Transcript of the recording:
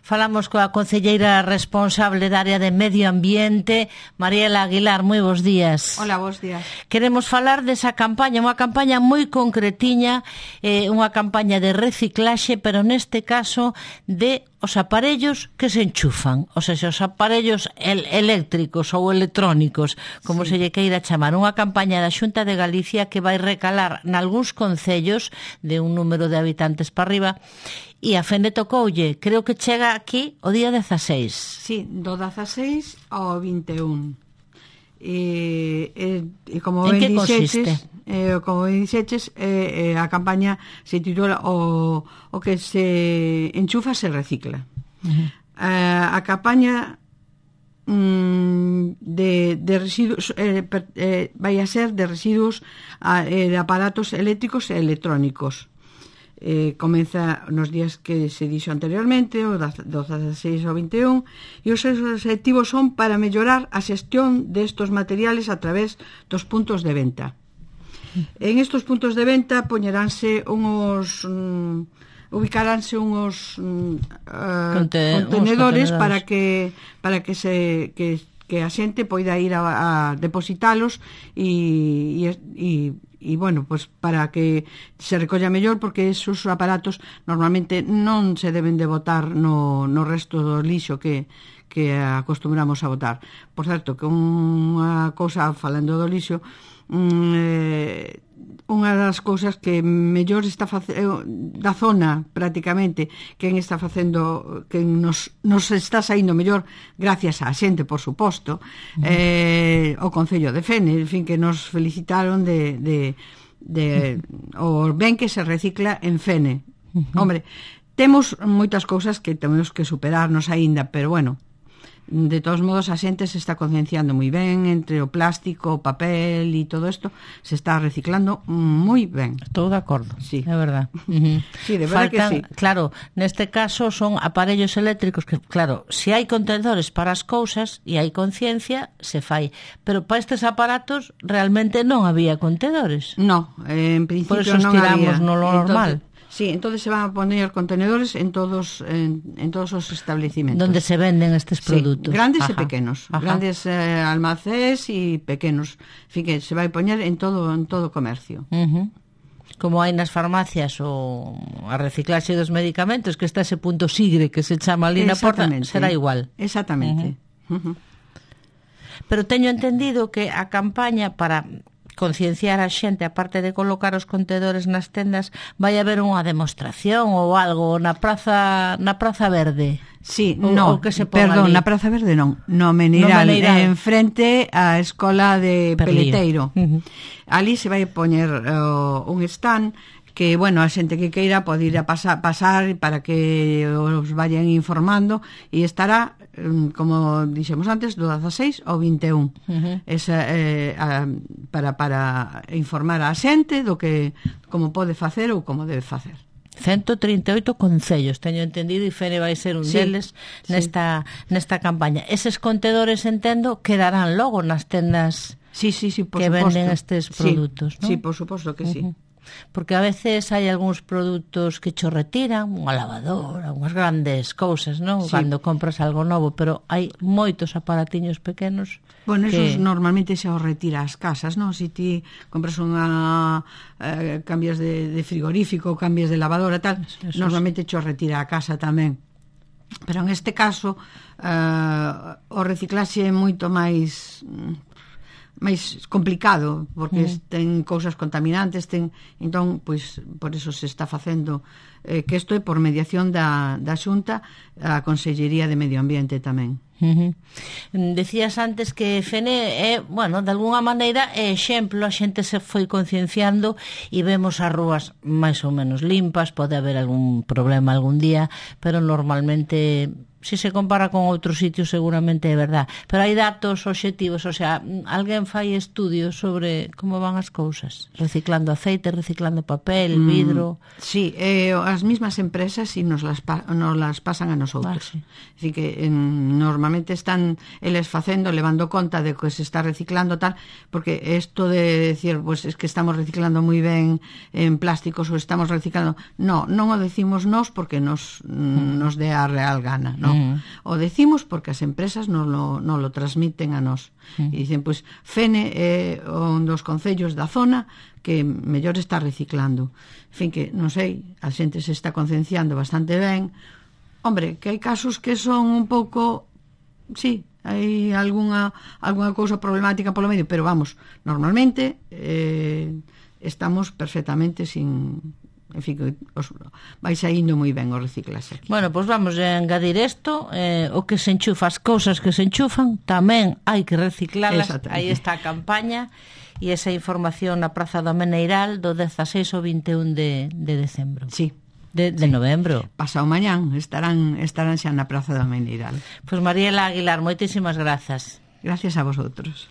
Falamos coa concelleira responsable da área de Medio Ambiente, Mariela Aguilar. Moi bons días. Hola, bons días. Queremos falar desa campaña, unha campaña moi concretiña, unha campaña de reciclaxe, pero neste caso de os aparellos que se enchufan, ou seja, os aparellos eléctricos ou electrónicos, como se lle queira chamar. Unha campaña da Xunta de Galicia que vai recalar nalgúns concellos de un número de habitantes para arriba, e a Fene tocoulle, creo que chega aquí o día 16. Sí, do 16 ao 21. E como en que consiste? Como dixeches, a campaña se titula o que se enchufa se recicla. A campaña de residuos vai a ser de residuos de aparatos eléctricos e electrónicos. Comeza nos días que se dixo anteriormente, o 16 ao 21, e os seus objetivos son para mellorar a xestión destos materiales a través dos puntos de venta. En estos puntos de venta poñeránse ubicaránse unhos contenedores para que a xente poida ir a depositalos e bueno, pues para que se recolla mellor, porque esos aparatos normalmente non se deben de botar no resto do lixo que acostumbramos a botar. Por certo, que unha cousa, falando do lixo, unha das cousas que mellor está da zona prácticamente quen está facendo, que nos está saindo mellor gracias á xente, por suposto, o Concello de Fene, en fin, que nos felicitaron de o ben que se recicla en Fene. Hombre, temos moitas cousas que temos que superarnos aínda, pero bueno, de todos modos a xente se está concienciando moi ben entre o plástico, o papel e todo isto, se está reciclando moi ben. Estou de acordo, sí. É verdad. Sí, de verdad que sí. Claro, neste caso son aparellos eléctricos que, claro, se hai contenedores para as cousas e hai conciencia, se fai. Pero para estes aparatos realmente non había contenedores. No, en principio non había. Por eso estiramos no normal. Sí, entonces se van a poner contenedores en todos os establecimentos. Donde se venden estes produtos. Sí, grandes e pequenos. Grandes almacés e pequenos. En fin, que se vai poñer en todo comercio. Como hai nas farmacias o a reciclaxe dos medicamentos, que está ese punto sigre que se chama ali na porta, será igual. Exactamente. Pero teño entendido que a campaña para concienciar a xente, aparte de colocar os contenedores nas tendas, vai haber unha demostración ou algo na Praza Verde. Sí, no, perdón, na Praza Verde non, no Meniral, en frente á Escola de Peleteiro. Ali se vai poñer un stand que, bueno, a xente que queira pode ir a pasar para que os vayan informando, e estará, como dixemos antes, do 16 ao 21. Esa, para informar a xente do que como pode facer ou como debe facer. 138 concellos, teño entendido, e Fene vai ser un deles nesta campaña. Eses contedores, entendo, quedarán logo nas tendas por que suposto. Venden estes produtos, non? Sí, por suposto que sí. Porque a veces hai algúns produtos que cho retiran, unha lavadora, unhas grandes cousas, non? Cando compras algo novo, pero hai moitos aparatiños pequenos. Bueno, esos normalmente xa os retira as casas, non? Se ti compras cambias de frigorífico, cambias de lavadora, tal, normalmente cho retira a casa tamén. Pero en este caso o reciclaxe é moito máis complicado, porque ten cousas contaminantes, entón, pois, por eso se está facendo que isto é por mediación da Xunta, a Consellería de Medio Ambiente tamén. Decías antes que Fene é, bueno, de alguna maneira é exemplo, a xente se foi concienciando e vemos as rúas máis ou menos limpas, pode haber algún problema algún día, pero normalmente se se compara con outros sitios seguramente é verdad, pero hai datos obxectivos, o sea, alguén fai estudios sobre como van as cousas, reciclando aceite, reciclando papel, vidro. Sí, as mismas empresas si nos las pasan a nosotros. Sí. Así que normalmente están eles facendo, levando conta de que se está reciclando tal, porque isto de decir, pues es que estamos reciclando moi ben en plásticos ou estamos reciclando, non o decimos nós porque nos dé a real gana, non? O decimos porque as empresas non lo transmiten a nós. E dicen, pois, Fene é un dos concellos da zona que mellor está reciclando. En fin, que, non sei, a xente se está concienciando bastante ben. Hombre, que hai casos que son un pouco... Sí, hai algunha cousa problemática polo medio, pero vamos, normalmente estamos perfectamente sin... En fin, vai saindo moi ben o reciclaxe aquí. Bueno, pois vamos a engadir isto, o que se enchufa, as cousas que se enchufan tamén hai que reciclalas. Aí está a campaña e esa información na Praza do Meneiral do 16 ao 21 de decembro. Sí. De novembro. Pasado mañán estarán xa na Praza do Meneiral. Pois Mariela Aguilar, moitísimas grazas. Gracias a vosotros.